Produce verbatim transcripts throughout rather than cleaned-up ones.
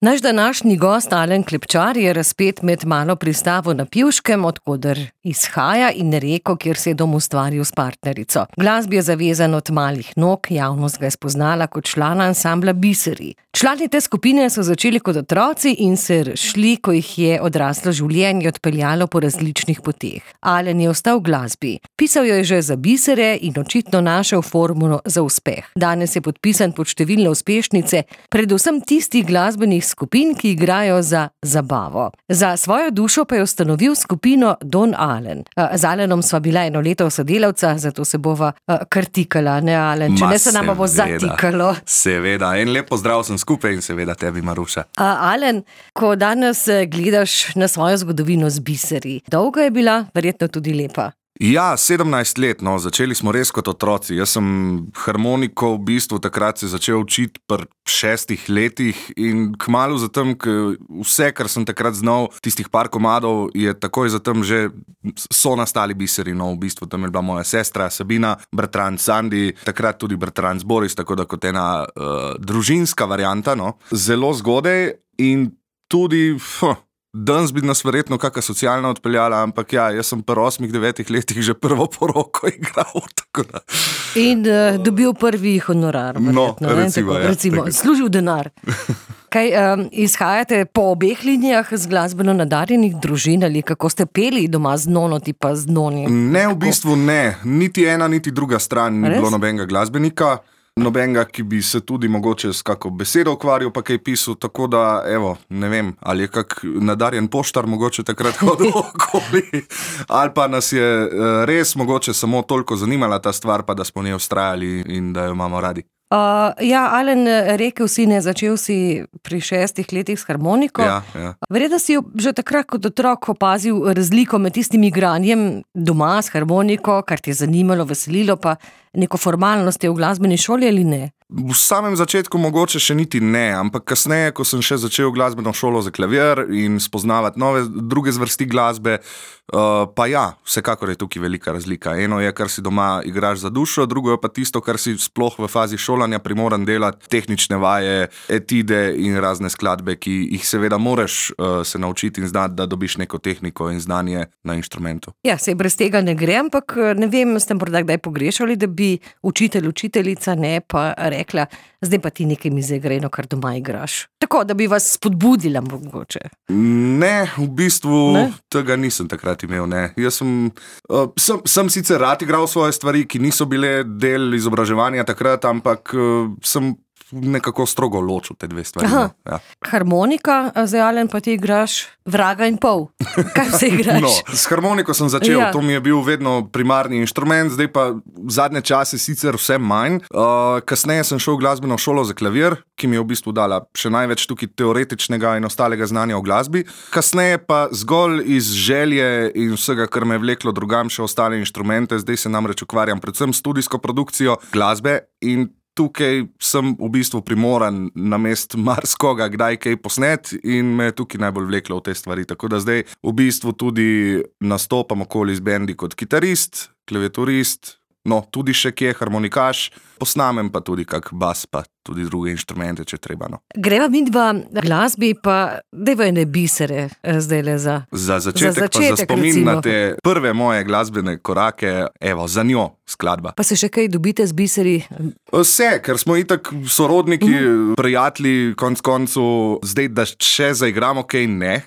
Naš današnji gost Alen Klepčar je razpet med malo pristavo na Pivškem, odkoder izhaja, in Reko, kjer se je dom ustvaril s partnerico. Glasbi je zavezan od malih nog, javnost ga je spoznala kot člana ansambla Biseri. Člani te skupine so začeli kot otroci in se razšli, ko jih je odraslo življenje odpeljalo po različnih poteh. Alen je ostal v glasbi. Pisal jo je že za bisere in očitno našel formulo za uspeh. Danes je podpisan pod številne uspešnice, predvsem tistih glasbenih skupin, ki igrajo za zabavo. Za svojo dušo pa je ustanovil skupino Don Alen. Z Alenom sva bila eno leto sodelavca, zato se bova kar tikala, ne Alen? Če Ma, ne se nama bo zatikalo. Seveda, en lep pozdrav sem skupaj in seveda tebi, Maruša. A, Alen, ko danes gledaš na svojo zgodovino z biseri, dolga je bila, verjetno tudi lepa. Ja, sedemnajst let, no, začeli smo res kot otroci. Jaz sem harmoniko v bistvu takrat se začel učiti pri šestih letih in kmalu zatem, ker vse, kar sem takrat znal, tistih par komadov, je takoj zatem že so nastali biseri. No, v bistvu tam je bila moja sestra Sabina, bratranc Sandi, takrat tudi bratranc Boris, tako da kot ena uh, družinska varianta, no. Zelo zgodaj in tudi... Huh, danes bi nas verjetno kakšna socialna odpeljala, ampak ja, jaz sem pri osmih, devetih letih že prvo poroko igral, tako da. In uh, dobil prvi honorar, verjetno. No, recimo, tako, ja. recimo, služil denar. Kaj, um, izhajate po obeh linijah z glasbeno nadarjenih družin ali kako ste peli doma z nono tipa z noni? Ne, v bistvu ne. Niti ena, niti druga stran ni bilo nobenega glasbenika. Nobenega, ki bi se tudi mogoče s kako besedo ukvarjal, pa kaj pisal, tako da, evo, ne vem, ali je kak nadarjen poštar mogoče takrat hodil okoli, ali pa nas je res mogoče samo toliko zanimala ta stvar, pa da smo v njej vztrajali in da jo imamo radi. Uh, ja, Alen, rekel si, ne, začel si pri šestih letih s harmoniko. Ja, ja. Verjetno si že takrat kot otrok opazil razliko med tistim igranjem doma s harmoniko, kar te je zanimalo, veselilo, pa neko formalnost v glasbeni šoli ali ne? V samem začetku mogoče še niti ne, ampak kasneje, ko sem še začel glasbeno šolo za klavir in spoznavati nove, druge zvrsti glasbe, uh, pa ja, vsekakor je tukaj velika razlika. Eno je, kar si doma igraš za dušo, drugo je pa tisto, kar si sploh v fazi šolanja primoran delati, tehnične vaje, etide in razne skladbe, ki jih seveda moraš uh, se naučiti in znati, da dobiš neko tehniko in znanje na inštrumentu. Ja, se brez tega ne gre, ampak ne vem, ste morda kdaj pogrešali, da bi učitelj, učiteljica ne pa rekla, zdaj pa ti nekaj mi zaigrajno, kar doma igraš. Tako, da bi vas spodbudila mogoče. Ne, v bistvu ne? Tega nisem takrat imel, ne. Jaz sem, uh, sem, sem sicer rad igral svoje stvari, ki niso bile del izobraževanja takrat, ampak uh, sem nekako strogo ločil te dve stvari. Ja. Harmonika, zdaj Alen, pa ti igraš vraga in pol. Kaj se igraš? No, s harmoniko sem začel, ja. To mi je bil vedno primarni inštrument, zdaj pa zadnje čase sicer vse manj. Uh, kasneje sem šel v glasbeno šolo za klavir, ki mi je v bistvu dala še največ tukaj teoretičnega in ostalega znanja o glasbi. Kasneje pa zgolj iz želje in vsega, kar me je vleklo drugam še ostale inštrumente, zdaj se namreč ukvarjam predvsem s studijsko produkcijo glasbe in tukaj sem v bistvu primoran namest marskoga, kdaj kaj posnet in me je tukaj najbolj vleklo v te stvari. Tako da zdaj v bistvu tudi nastopam okoli z bendi kot kitarist, klaviaturist, no, tudi še kje harmonikaš, posnamem pa tudi kak bas, pa tudi druge inštrumente, če treba, no. Greva midva glasbi, pa dajva ene bisere zdaj le za... Za začetek, za začetek pa za spomin recimo. Na te prve moje glasbene korake, evo, Za njo skladba. Pa se še kaj dobite z biseri? Vse, ker smo itak sorodniki, mm. prijatelji, konc koncu, zdaj, da še zaigramo kaj, ne.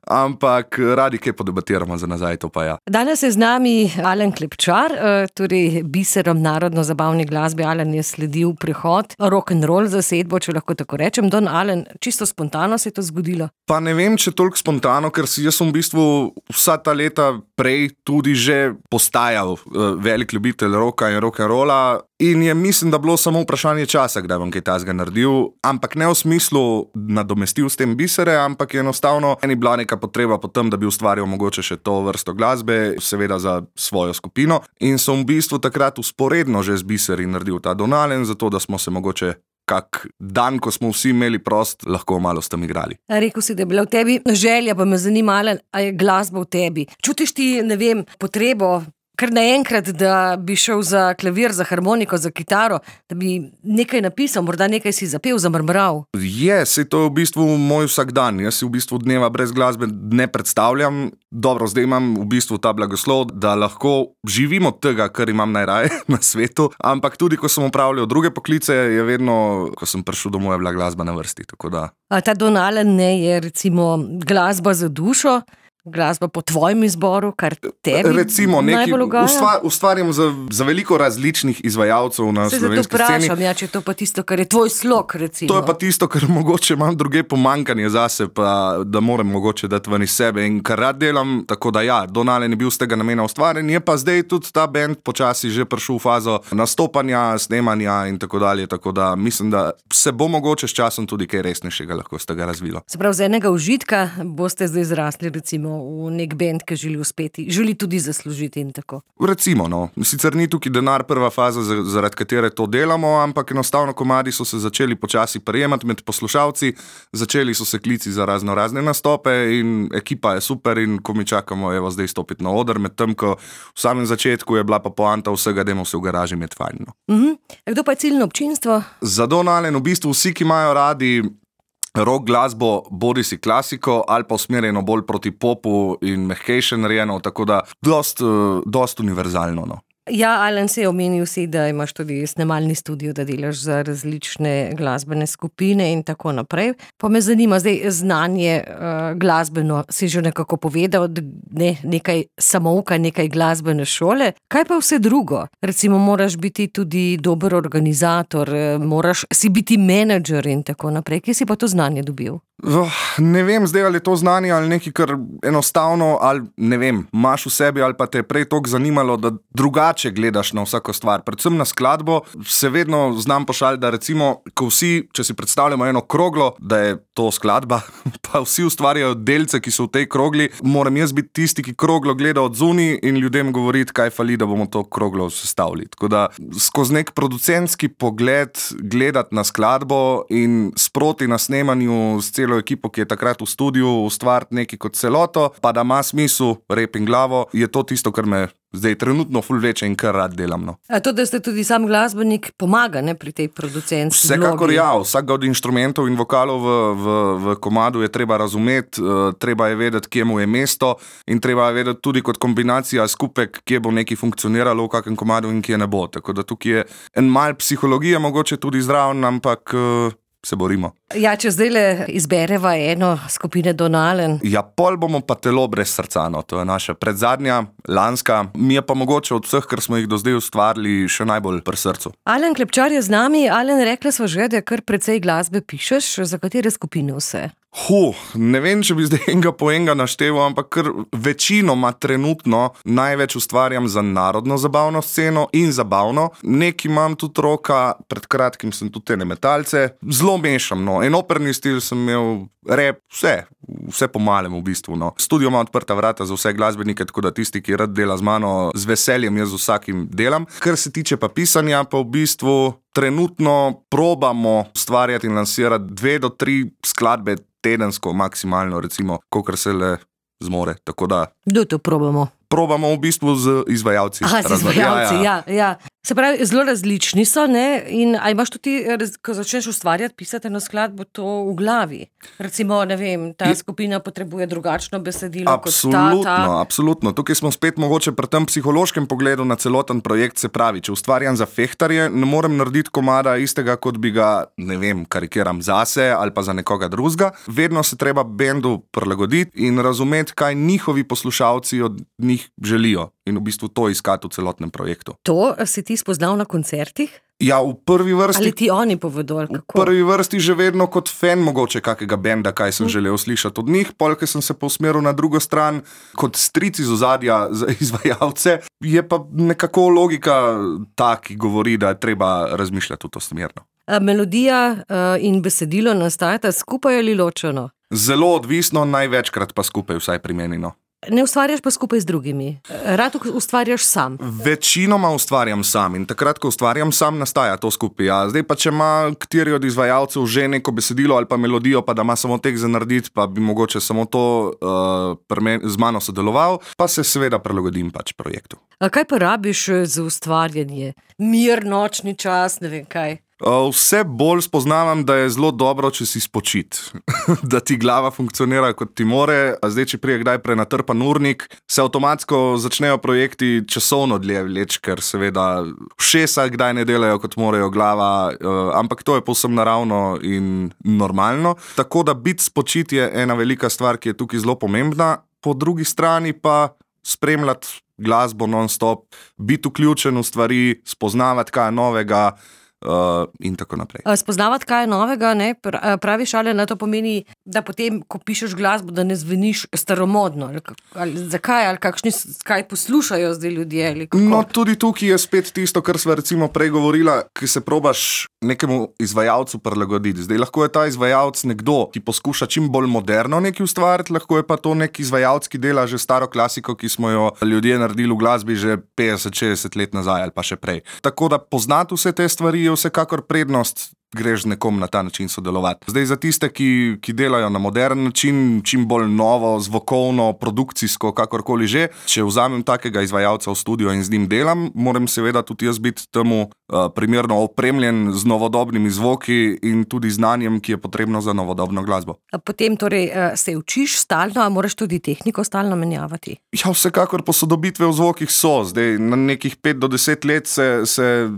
Ampak radi kaj podebatiramo za nazaj, to pa ja. Danes je z nami Alen Klepčar, torej biserom narodno-zabavne glasbe. Alen je sledil prehod rock'n'roll zasedbo, če lahko tako rečem. Don Alen, čisto spontano se je to zgodilo? Pa ne vem, če toliko spontano, ker si jaz sem v bistvu vsa ta leta prej tudi že postajal uh, velik ljubitelj rocka in rock'n'rolla in je mislim, da bilo samo vprašanje časa, kdaj bom kaj tazga naredil, ampak ne v smislu nadomestil s tem bisere, ampak je enostavno eni bila neka potreba potem, da bi ustvaril mogoče še to vrsto glasbe, seveda za svojo skupino in sem v bistvu takrat usporedno že z biseri naredil ta Don Alen, zato da smo se mogoče kak dan, ko smo vsi imeli prost, lahko malo s tem igrali. Rekel si, da je bila v tebi želja, pa me zanima, Alen, a je glasba v tebi. Čutiš ti, ne vem, potrebo kar naenkrat, da bi šel za klavir, za harmoniko, za kitaro, da bi nekaj napisal, morda nekaj si zapel, zamrmral. Je, saj to je v bistvu moj vsakdan. Jaz si v bistvu dneva brez glasbe ne predstavljam. Dobro, zdaj imam v bistvu ta blagoslov, da lahko živim od tega, kar imam najraje na svetu, ampak tudi, ko sem opravljal druge poklice, je vedno, ko sem prišel domov, je bila glasba na vrsti, tako da. A ta Don Alan ne je recimo glasba za dušo, glasba po tvojem izboru, kar tebi recimo, neki, najbolj ugaja? Ustva, ustvarjam za, za veliko različnih izvajalcev na Se slovenski zato sceni. vprašam, ja, če je to pa tisto, kar je tvoj slog, recimo. To je pa tisto, kar mogoče imam druge pomankanje zase, pa da moram mogoče dati ven iz sebe in kar rad delam, tako da ja, Don Alan je bil z tega namena ustvarjen, je pa zdaj tudi ta band počasi že prišel v fazo nastopanja, snemanja in tako dalje, tako da mislim, da se bo mogoče s časom tudi kaj resnejšega lahko z tega razvilo. Se pravi, z enega užitka boste zdaj zrasli recimo v nek band, ki želi uspeti, želi tudi zaslužiti in tako. Recimo, no, sicer ni tukaj denar prva faza, zaradi katere to delamo, ampak enostavno komadi so se začeli počasi prijemati med poslušalci, začeli so se klici za razno razne nastope in ekipa je super in ko mi čakamo, evo zdaj stopiti na oder, med tem, ko v samem začetku je bila pa poanta vsega, dajmo se v garaži med fajn. No. Mhm. Kdo pa je ciljno občinstvo? Za Don Alan v bistvu vsi, ki imajo radi rock glasbo, bodi si klasiko ali pa usmerjeno bolj proti popu in mehkejše narejeno, tako da dost, dost univerzalno. No. Ja, Alan, se je omenil si, da imaš tudi snemalni studio, da delaš za različne glasbene skupine in tako naprej. Pa me zanima zdaj znanje uh, glasbeno, si že nekako povedal, ne, nekaj samouka, nekaj glasbene šole. Kaj pa vse drugo? Recimo moraš biti tudi dober organizator, moraš si biti menedžer in tako naprej. Kje si pa to znanje dobil? Oh, ne vem zdaj, ali je to znanje ali nekaj, kar enostavno, ali ne vem, imaš v sebi ali pa te je prej toliko zanimalo, da drugače gledaš na vsako stvar. Predvsem na skladbo se vedno znam pošaliti, da recimo, ko vsi, če si predstavljamo eno kroglo, da je to skladba, pa vsi ustvarjajo delce, ki so v tej krogli, moram jaz biti tisti, ki kroglo gleda od zunaj in ljudem govoriti, kaj fali, da bomo to kroglo sestavili. Tako da skozi nek producentski pogled gledati na skladbo in sproti na snemanju s celo ekipo, ki je takrat v studiu, ustvariti nekaj kot celoto, pa da ima smisel, rep in glavo, je to tisto, kar me zdaj trenutno ful vleče in kar rad delam. No. A to, da ste tudi sam glasbenik, pomaga ne, pri tej producentski vlogi? Vsekakor ja, vsak od inštrumentov in vokalov v, v, v komadu je treba razumeti, uh, treba je vedeti, kje mu je mesto in treba je vedeti tudi kot kombinacija skupek, kje bo nekaj funkcioniralo v kakem komadu in kje ne bo. Tako da tukaj je en mal psihologije, mogoče tudi zraven, ampak uh, se borimo. Ja, če zdaj le izbereva eno skupine Don Alan. Ja, pol bomo pa Telo brez srca, no. To je naša predzadnja, lanska. Mi je pa mogoče od vseh, kar smo jih do zdaj ustvarili, še najbolj pri srcu. Alan Klepčar je z nami. Alan, rekla sva že, da kar precej glasbe pišeš. Za katere skupine vse? Huh, ne vem, če bi zdaj enega po enega našteval, ampak kar večinoma trenutno največ ustvarjam za narodno zabavno sceno in zabavno. Nek imam tudi roka, pred kratkim sem tudi ene metalce. Zelo mešam, no. En operni stil sem imel, rap, vse, vse po malem v bistvu, no. Studio ima odprta vrata za vse glasbenike, tako da tisti, ki rad dela z mano, z veseljem jaz z vsakim delam. Kar se tiče pa pisanja, pa v bistvu trenutno probamo ustvarjati in lansirati dve do tri skladbe tedensko, maksimalno, recimo, kolikor se le zmore. Tako da. Kdo to probamo? Probamo v bistvu z izvajalci. Aha, z izvajalci, ja, ja. ja. Se pravi, zelo različni so, ne? In a imaš tudi, ko začneš ustvarjati, pisati na skladbo, to v glavi? Recimo, ne vem, ta skupina potrebuje drugačno besedilo absolutno, kot ta, ta. Absolutno. Tukaj smo spet mogoče pri tem psihološkem pogledu na celoten projekt, se pravi, če ustvarjam za fehtarje, ne morem narediti komada istega, kot bi ga, ne vem, karikiram zase ali pa za nekoga drugega. Vedno se treba bendu prilagoditi in razumeti, kaj njihovi poslušalci od njih želijo in v bistvu to iskati v celotnem projektu. To si ti spoznal na koncertih? Ja, v prvi vrsti. Ali ti oni povedo, ali kako? V prvi vrsti že vedno kot fan mogoče kakega benda, kaj sem hm. želel slišati od njih, pol, ker sem se povsmeril na drugo stran, kot stric iz ozadja za izvajalce, je pa nekako logika ta, ki govori, da je treba razmišljati v to smerno. A melodija in besedilo nastajata skupaj ali ločeno? Zelo odvisno, največkrat pa skupaj, vsaj pri meni, no. Ne ustvarjaš pa skupaj z drugimi. Rad ustvarjaš sam. Večinoma ustvarjam sam in takrat, ko ustvarjam sam, nastaja to skupaj. Ja. Zdaj pa, če ima kateri od izvajalcev že neko besedilo ali pa melodijo, pa da ima samo tek za narediti, pa bi mogoče samo to uh, z mano sodeloval, pa se seveda prilagodim pač projektu. A kaj pa rabiš za ustvarjanje? Mir, nočni čas, ne vem kaj. Vse bolj spoznavam, da je zelo dobro, če si spočit. Da ti glava funkcionira, kot ti more. Zdaj, če prije kdaj prenatrpan urnik, se avtomatsko začnejo projekti časovno dlje vleč, ker seveda všesa kdaj ne delajo, kot morajo glava, ampak to je povsem naravno in normalno. Tako da biti spočit je ena velika stvar, ki je tukaj zelo pomembna. Po drugi strani pa spremljati glasbo non-stop, biti vključen v stvari, spoznavati kaj novega, Uh, in tako naprej. Spoznavati kaj novega, ne? Praviš, ali na to pomeni, da potem, ko pišeš glasbo, da ne zveniš staromodno? Ali, ali, zakaj? Ali kakšni, kaj poslušajo zdaj ljudje? Ali no, tudi tukaj je spet tisto, kar sva recimo prej govorila, ki se probaš nekemu izvajalcu prilagoditi. Zdaj lahko je ta izvajalc nekdo, ki poskuša čim bolj moderno nekaj ustvariti, lahko je pa to nek izvajalc, ki dela že staro klasiko, ki smo jo ljudje naredili v glasbi že petdeset šestdeset let nazaj ali pa še prej. Tako da poznati vse te stvari vsekakor prednost, greš z nekom na ta način sodelovati. Zdaj za tiste, ki, ki delajo na modern način, čim bolj novo, zvokovno, produkcijsko, kakorkoli že, če vzamem takega izvajalca v studio in z njim delam, moram seveda tudi jaz biti temu uh, primerno opremljen z novodobnimi zvoki in tudi znanjem, ki je potrebno za novodobno glasbo. Potem torej se učiš stalno, a moraš tudi tehniko stalno menjavati? Ja, vsekakor posodobitve v zvokih so. Zdaj na nekih pet do deset let se, se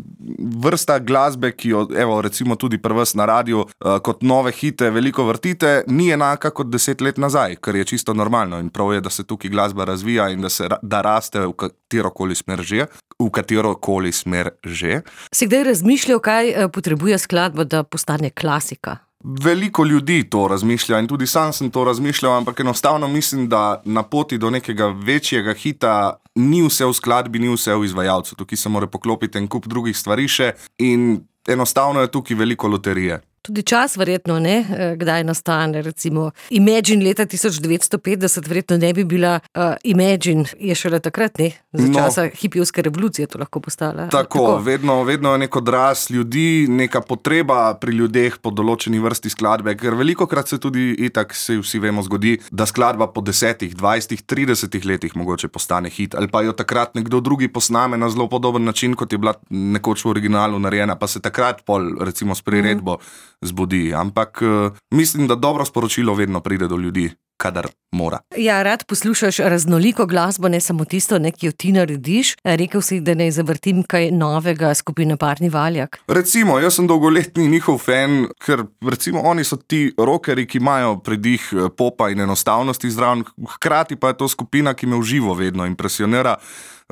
vrsta glasbe, ki jo, evo, recimo tudi pri vas na radiju, uh, kot nove hite veliko vrtite, ni enaka kot deset let nazaj, kar je čisto normalno in prav je, da se tukaj glasba razvija in da se da raste v katerokoli smer že, v katerokoli smer že. Si kdaj razmišljal, kaj potrebuje skladba, da postane klasika? Veliko ljudi to razmišlja in tudi sam sem to razmišljal, ampak enostavno mislim, da na poti do nekega večjega hita ni vse v skladbi, ni vse v izvajalcu. Tukaj se mora poklopiti en kup drugih stvari še in enostavno je tukaj veliko loterije. Tudi čas verjetno, ne, kdaj nastane, recimo Imagine leta tisoč devetsto petdeset verjetno ne bi bila uh, Imagine, je šele takrat, ne, za časa no, hipijevske revolucije to lahko postala. Tako, tako. Vedno, vedno je nek odraz ljudi, neka potreba pri ljudeh po določeni vrsti skladbe, ker velikokrat se tudi itak, se vsi vemo, zgodi, da skladba po desetih, dvajsetih, tridesetih letih mogoče postane hit, ali pa jo takrat nekdo drugi posname na zelo podoben način, kot je bila nekoč v originalu narejena, pa se takrat pol, recimo s priredbo mm. zbudi, ampak uh, mislim, da dobro sporočilo vedno pride do ljudi, kadar mora. Ja, rad poslušaš raznoliko glasbo, ne samo tisto, ne, ki jo ti narediš. Rekel si, da ne zavrtim kaj novega skupine Parni Valjak. Recimo, jaz sem dolgoletni njihov fan, ker recimo oni so ti rockerji, ki imajo predih popa in enostavnosti zraven, hkrati pa je to skupina, ki me v živo vedno impresionira,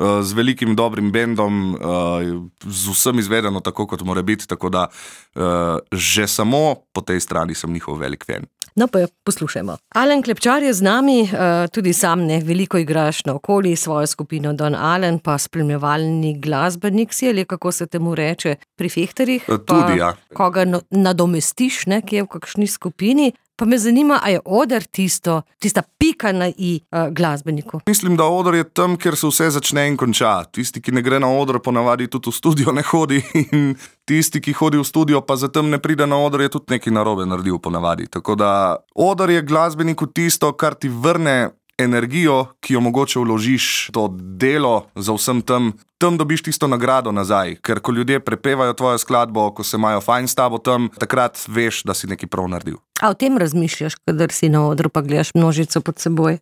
z velikim dobrim bendom, z vsem izvedeno tako, kot mora biti, tako da že samo po tej strani sem njihov velik fan. No pa poslušajmo. Alen Klepčar je z nami, tudi sam ne veliko igraš na okoli, svojo skupino Don Alen, pa spremljevalni glasbenik si, ali kako se temu reče, pri fehterjih. Tudi, ja. Koga nadomestiš, ne, ki je v kakšni skupini. Pa me zanima, a je oder tisto, tista pika na i uh, glasbeniku? Mislim, da oder je tam, kjer se vse začne in konča. Tisti, ki ne gre na oder, ponavadi tudi v studio ne hodi in tisti, ki hodi v studio, pa zatem ne pride na oder, je tudi nekaj narobe naredil ponavadi. Tako da oder je glasbeniku tisto, kar ti vrne energijo, ki jo mogoče vložiš to delo za vsem tem, tam dobiš tisto nagrado nazaj, ker ko ljudje prepevajo tvojo skladbo, ko se imajo fajn s tabo tam, takrat veš, da si nekaj prav naredil. A o tem razmišljaš, kadar si na odru pa gledaš množico pod seboj?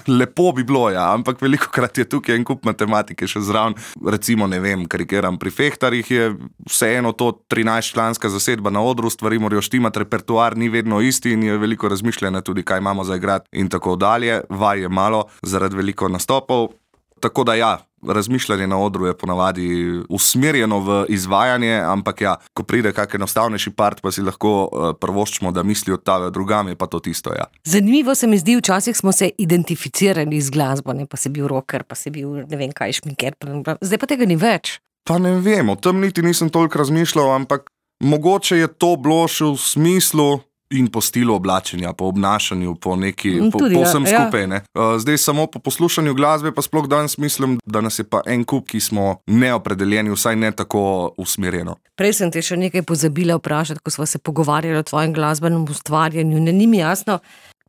Lepo bi bilo, ja, ampak velikokrat je tukaj en kup matematike še zraven. Recimo, ne vem, karikiram, pri fehtarjih je vseeno to trinajstčlanska zasedba na odru, stvari morajo štimati, repertoar ni vedno isti in je veliko razmišljanja tudi, kaj imamo za igrati in tako dalje. Vaj je malo zaradi veliko nastopov. Tako da ja, razmišljanje na odru je ponavadi usmerjeno v izvajanje, ampak ja, ko pride kak enostavnejši part, pa si lahko uh, prvoščimo, da misli odtavejo drugam, je pa to tisto, ja. Zanimivo se mi zdi, včasih smo se identificirali z glasbo, ne, pa si bil rocker, pa si bil ne vem kaj, šminker, zdaj pa tega ni več. Pa ne vem, o tem niti nisem toliko razmišljal, ampak mogoče je to bilo še v smislu, In po stilu oblačenja, po obnašanju, po neki, po, Tudi, po ja, vsem ja. skupaj. Ne. Uh, zdaj samo po poslušanju glasbe, pa sploh danes mislim, da nas je pa en kup, ki smo neopredeljeni, vsaj ne tako usmerjeno. Prej sem te še nekaj pozabila vprašati, ko sva se pogovarjali o tvojem glasbenem ustvarjanju. Ne, ni mi jasno,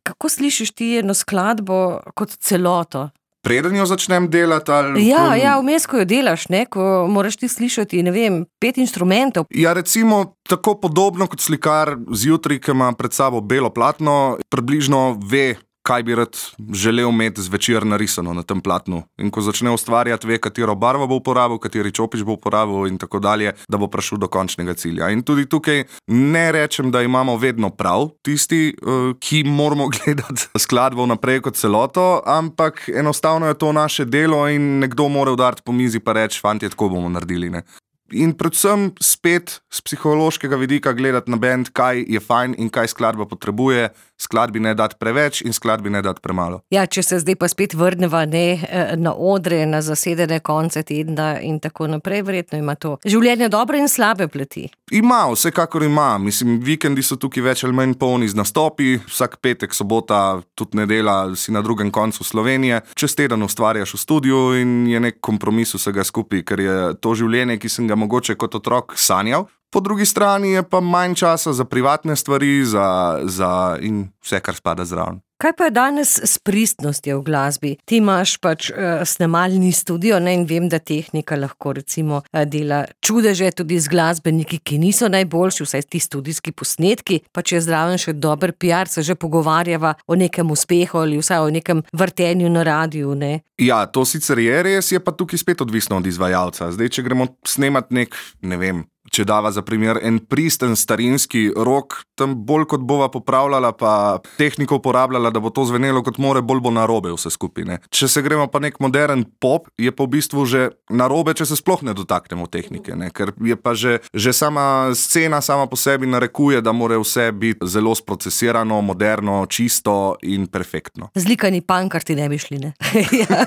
kako slišiš ti eno skladbo kot celoto? Preden jo začnem delati ali... Ja, ko... ja, vmes, ko jo delaš, ne, ko moraš ti slišati, ne vem, pet inštrumentov. Ja, recimo, tako podobno kot slikar zjutraj, ki ima pred sabo belo platno, približno ve, kaj bi rad želel imeti zvečer narisano na tem platnu. In ko začne ustvarjati, ve, katero barvo bo uporabil, kateri čopič bo uporabil in tako dalje, da bo prišel do končnega cilja. In tudi tukaj ne rečem, da imamo vedno prav tisti, ki moramo gledati skladbo naprej kot celoto, ampak enostavno je to naše delo in nekdo mora udariti po mizi pa reči, fantje, tako bomo naredili, ne. In predvsem spet z psihološkega vidika gledati na bend, kaj je fajn in kaj skladba potrebuje, skladbi ne dati preveč in skladbi ne dati premalo. Ja, če se zdaj pa spet vrneva ne, na odre, na zasedene konce tedna in tako naprej, verjetno ima to življenje dobre in slabe plati. Ima, vsekakor ima. Mislim, vikendi so tukaj več ali manj polni z nastopi, vsak petek, sobota, tudi nedela si na drugem koncu Slovenije. Čez teden ustvarjaš v studiu in je nek kompromis vsega skupaj, ker je to življenje, ki sem ga mogoče kot otrok sanjal. Po drugi strani je pa manj časa za privatne stvari za, za in vse, kar spada zraven. Kaj pa je danes s pristnostjo v glasbi? Ti imaš pač uh, snemalni studio, ne, in vem, da tehnika lahko recimo uh, dela čudeže tudi z glasbeniki, ki niso najboljši, vsaj ti studijski posnetki, pa če je zraven še dober P R, se že pogovarjava o nekem uspehu ali vsaj o nekem vrtenju na radiju, ne? Ja, to sicer je res, je pa tukaj spet odvisno od izvajalca. Zdaj, če gremo snemat nek, ne vem, če dava za primer en pristen starinski rock, tam bolj kot bova popravljala pa tehniko uporabljala, da bo to zvenelo kot more, bolj bo narobe vse skupaj, ne. Če se gremo pa nek modern pop, je pa v bistvu že narobe, če se sploh ne dotaknemo tehnike, ne, ker je pa že, že sama scena sama po sebi narekuje, da mora vse biti zelo sprocesirano, moderno, čisto in perfektno. Zlikani pankarti ne bi šli, ne. Ja.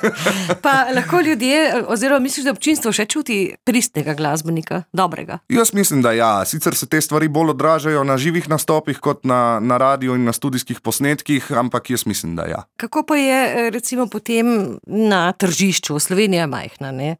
Pa lahko ljudje, oziroma misliš, da občinstvo še čuti pristnega glasbenika, dobrega? Jaz mislim, da ja. Sicer se te stvari bolj odražajo na živih nastopih kot na, na radiju in na studijskih posnetkih, ampak jaz mislim, da ja. Kako pa je recimo potem na tržišču? Slovenija je majhna, ne?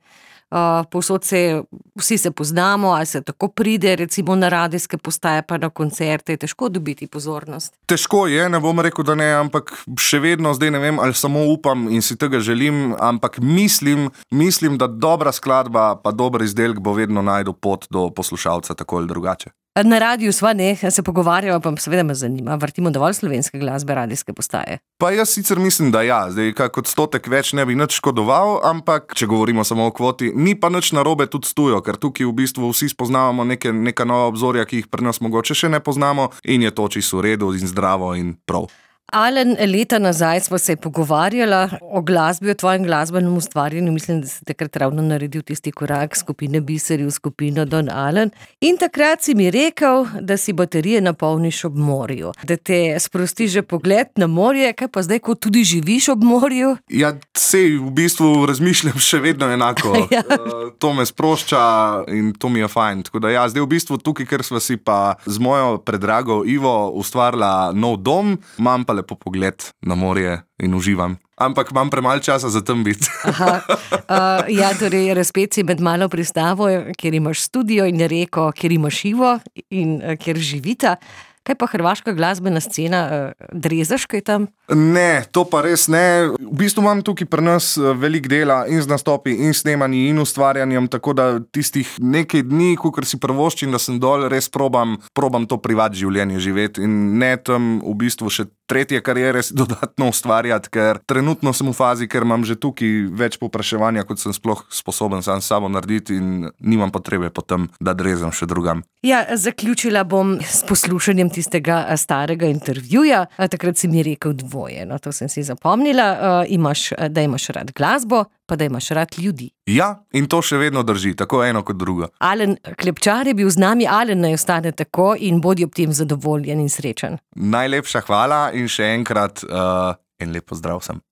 Uh, povsod se, vsi se poznamo, ali se tako pride recimo na radijske postaje pa na koncerte, je težko dobiti pozornost. Težko je, ne bom rekel, da ne, ampak še vedno zdaj ne vem, ali samo upam in si tega želim, ampak mislim, mislim, da dobra skladba pa dober izdelek bo vedno najdel pot do poslušalca tako ali drugače. Na radiju sva ne, se pogovarjava, pa seveda me zanima, vrtimo dovolj slovenske glasbe, radijske postaje. Pa jaz sicer mislim, da ja, zdaj kak odstotek več ne bi nič škodoval, ampak če govorimo samo o kvoti, ni pa nič narobe tudi s tujo, ker tukaj v bistvu vsi spoznavamo neke, neka nova obzorja, ki jih pri nas mogoče še ne poznamo in je to čisto v redu in zdravo in prav. Alen, leta nazaj smo se pogovarjala o glasbi, o tvojem glasbenem ustvarjanju. Mislim, da si takrat ravno naredil tisti korak skupine Biseri v skupino Don Alen. In takrat si mi rekel, da si baterije napolniš ob morju. Da te sprosti že pogled na morje, kaj pa zdaj, ko tudi živiš ob morju? Ja, sej v bistvu razmišljam še vedno enako. Ja. To me sprošča in to mi je fajn. Tako da ja, zdaj v bistvu tukaj, ker sva si pa z mojo predrago Ivo ustvarila nov dom, imam pa lepo pogled na morje in uživam. Ampak imam premalo časa za tem biti. Aha. Uh, ja, torej razpet si med Malo pristavo, kjer imaš studio in reko, kjer imaš Ivo in uh, kjer živita. Kaj pa hrvaška glasbena scena, drezaš kaj tam? Ne, to pa res ne. V bistvu imam tukaj pri nas veliko dela in z nastopi in snemanji in ustvarjanjem, tako da tistih nekaj dni, kakor si prvoščim, da sem dol, res probam, probam to privat življenje živeti in ne tam v bistvu še tretje kariere si dodatno ustvarjati, ker trenutno sem v fazi, ker imam že tukaj več povpraševanja, kot sem sploh sposoben sam s sabo narediti in nimam potrebe potem, da drezam še drugam. Ja, zaključila bom s poslušanjem tistega starega intervjuja. Takrat si mi rekel dvoje, no, to sem si zapomnila. Uh, imaš, da imaš rad glasbo, pa da imaš rad ljudi. Ja, in to še vedno drži, tako eno kot drugo. Alen Klepčar je bil z nami, Alen naj ostane tako in bodi ob tem zadovoljen in srečen. Najlepša hvala in še enkrat uh, en lep pozdrav sem.